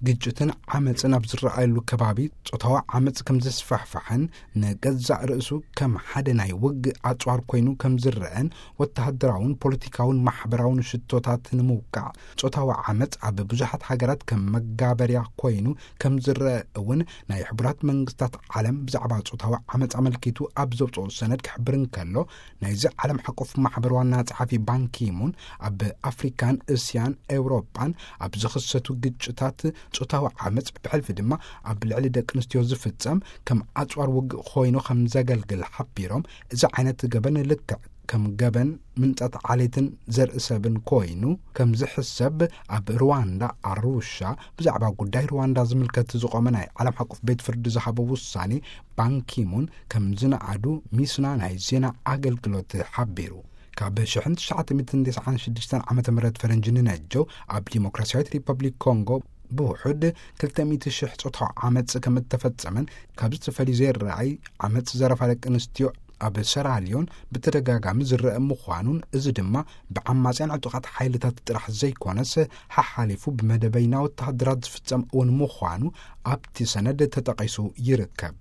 ግጭትን ዓመፅን ኣብ ዝረኣየሉ ከባቢ ጾታዊ ዓመፅ ከም ዘስፋሕፋሕን ንገዛእ ርእሱ ከም ሓደ ናይ ውግእ ኣጽዋር ኮይኑ ከም ዝረአን ወተሃደራውን ፖለቲካውን ማሕበራውን ሽቶታት ንምውቃዕ ጾታዊ ዓመፅ ኣብ ብዙሓት ሃገራት ከም መጋበርያ ኮይኑ ከም ዝረአ እውን ናይ ሕቡራት መንግስታት ዓለም ብዛዕባ ጾታዊ ዓመፅ ኣመልኪቱ ኣብ ዘውፅኦ ሰነድ ክሕብር እንከሎ ናይዚ ዓለም ሓቆፍ ማሕበር ዋና ጸሓፊ ባንኪሙን ኣብ ኣፍሪካን እስያን ኤውሮጳን ኣብ ዝኽሰቱ ግጭታት ጾታዊ ዓመፅ ብሕልፊ ድማ ኣብ ልዕሊ ደቂ ኣንስትዮ ዝፍጸም ከም ኣጽዋር ውግእ ኮይኑ ከም ዘገልግል ሓቢሮም እዚ ዓይነት ገበን ልክዕ ከም ገበን ምንጻት ዓሌትን ዘርኢ ሰብን ኮይኑ ከም ዝሕሰብ ኣብ ሩዋንዳ ኣሩሻ ብዛዕባ ጉዳይ ሩዋንዳ ዝምልከት ዝቆመ ናይ ዓለም ሓቆፍ ቤት ፍርዲ ዝሃቦ ውሳኔ ባንኪሙን ከም ዝነኣዱ ሚስና ናይ ዜና ኣገልግሎት ሓቢሩ። ካብ ሽሕን ትሽዓተ ሚእትን ተስዓን ሽዱሽተን ዓመተ ምህረት ፈረንጂ ንነጀው ኣብ ዲሞክራሲያዊት ሪፐብሊክ ኮንጎ ብውሑድ ክልተ ሚእቲ ሽሕ ጾታዊ ዓመጽ ከም እተፈጸመን ካብ ዝተፈላለዩ ዘይረኣይ ዓመጽ ዘረፋ ደቂ ኣንስትዮ ኣብ ሰራልዮን ብተደጋጋሚ ዝረአ ምዃኑን እዚ ድማ ብዓማጽያን ዕጡቓት ሓይልታት ጥራሕ ዘይኮነስ ሓሓሊፉ ብመደበይና ወተሃደራት ዝፍጸም እውን ምዃኑ ኣብቲ ሰነድ ተጠቒሱ ይርከብ።